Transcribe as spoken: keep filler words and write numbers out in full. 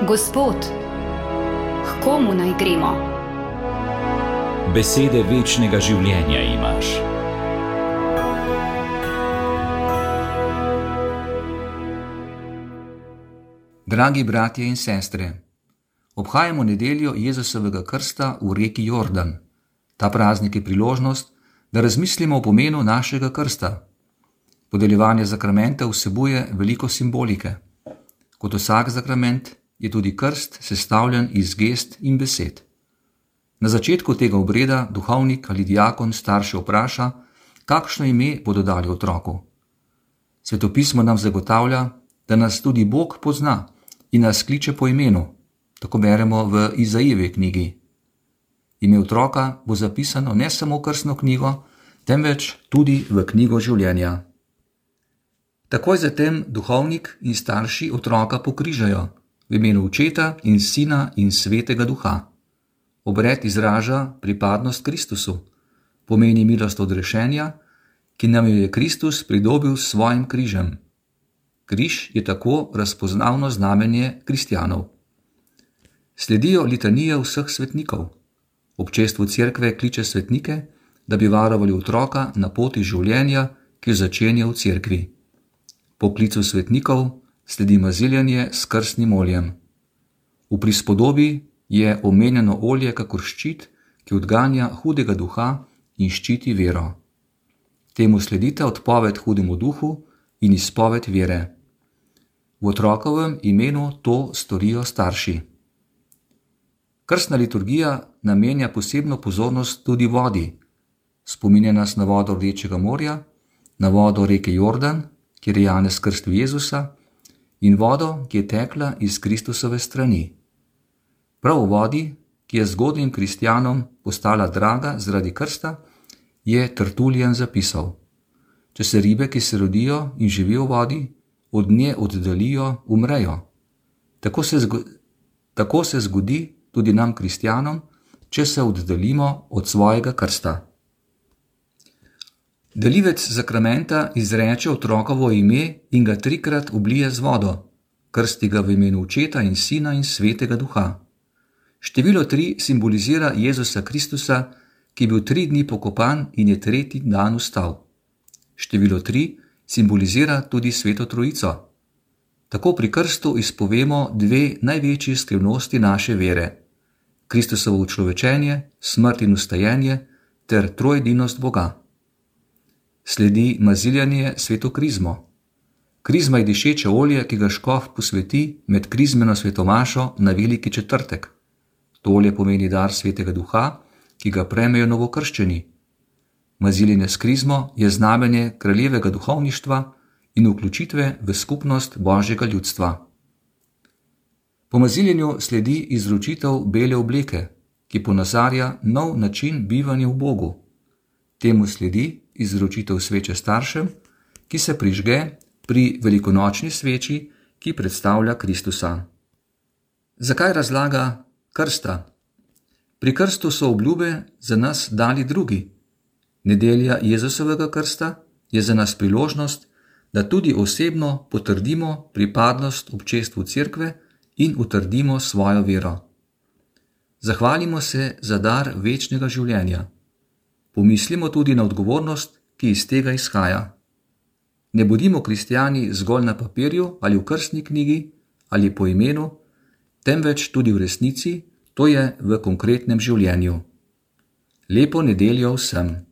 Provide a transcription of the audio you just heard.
Gospod, k komu naj gremo? Besede večnega življenja imaš. Dragi bratje in sestre, obhajamo nedeljo Jezusovega krsta v reki Jordan. Ta praznik je priložnost, da razmislimo o pomenu našega krsta. Podeljevanje zakramenta vsebuje veliko simbolike. Kot vsak zakrament je tudi krst sestavljen iz gest in besed. Na začetku tega obreda duhovnik ali diakon starše vpraša, kakšno ime bodo dali otroku. Svetopismo nam zagotavlja, da nas tudi Bog pozna in nas kliče po imenu. Tako beremo v Izaijevi knjigi. Ime otroka bo zapisano ne samo v krstno knjigo, temveč tudi v knjigo življenja. Takoj zatem duhovnik in starši otroka pokrižajo v imenu Očeta in Sina in Svetega Duha. Obred izraža pripadnost Kristusu, pomeni milost odrešenja, ki nam jo je Kristus pridobil s svojim križem. Križ je tako razpoznavno znamenje kristjanov. Sledijo litanije vseh svetnikov. Občestvo cerkve kliče svetnike, da bi varovali otroka na poti življenja, ki jo začenja v cerkvi. Po klicu svetnikov sledi maziljanje s krstnim oljem. V prispodobi je omenjeno olje kakor ščit, ki odganja hudega duha in ščiti vero. Temu sledita odpoved hudemu duhu in izpoved vere. V otrokovem imenu to storijo starši. Krstna liturgija namenja posebno pozornost tudi vodi. Spominja nas na vodo Rdečega morja, na vodo reke Jordan, kjer je Janez krstil Jezusa, in vodo, ki je tekla iz Kristusove strani. Prav v vodi, ki je zgodnjim kristjanom postala draga zaradi krsta, je Tertullijan zapisal: če se ribe, ki se rodijo in živijo v vodi, od nje oddaljijo, umrejo. Tako se, zgo- tako se zgodi tudi nam kristjanom, če se oddaljimo od svojega krsta. Delivec zakramenta izreče otrokovo ime in ga trikrat oblije z vodo, krsti ga v imenu Očeta in Sina in Svetega Duha. Število tri simbolizira Jezusa Kristusa, ki je bil tri dni pokopan in je tretji dan vstal. Število tri simbolizira tudi Sveto Trojico. Tako pri krstu izpovemo dve največji skrivnosti naše vere: Kristusovo učlovečenje, smrt in vstajenje ter troedinost Boga. Sledi maziljanje sveto krizmo. Krizma je dišeče olje, ki ga škof posveti med krizmeno svetomašo na veliki četrtek. To olje pomeni dar Svetega Duha, ki ga prejmejo novokrščeni. Maziljenje s krizmo je znamenje kraljevega duhovništva in vključitve v skupnost Božjega ljudstva. Po maziljenju sledi izročitev bele obleke, ki ponazarja nov način bivanja v Bogu. Temu sledi izročitev sveče staršem, ki se prižge pri velikonočni sveči, ki predstavlja Kristusa. Zakaj razlaga krsta? Pri krstu so obljube za nas dali drugi. Nedelja Jezusovega krsta je za nas priložnost, da tudi osebno potrdimo pripadnost občestvu cerkve in utrdimo svojo vero. Zahvalimo se za dar večnega življenja. Pomislimo tudi na odgovornost, ki iz tega izhaja. Ne bodimo kristjani zgolj na papirju ali v krstni knjigi ali po imenu, temveč tudi v resnici, to je v konkretnem življenju. Lepo nedeljo vsem!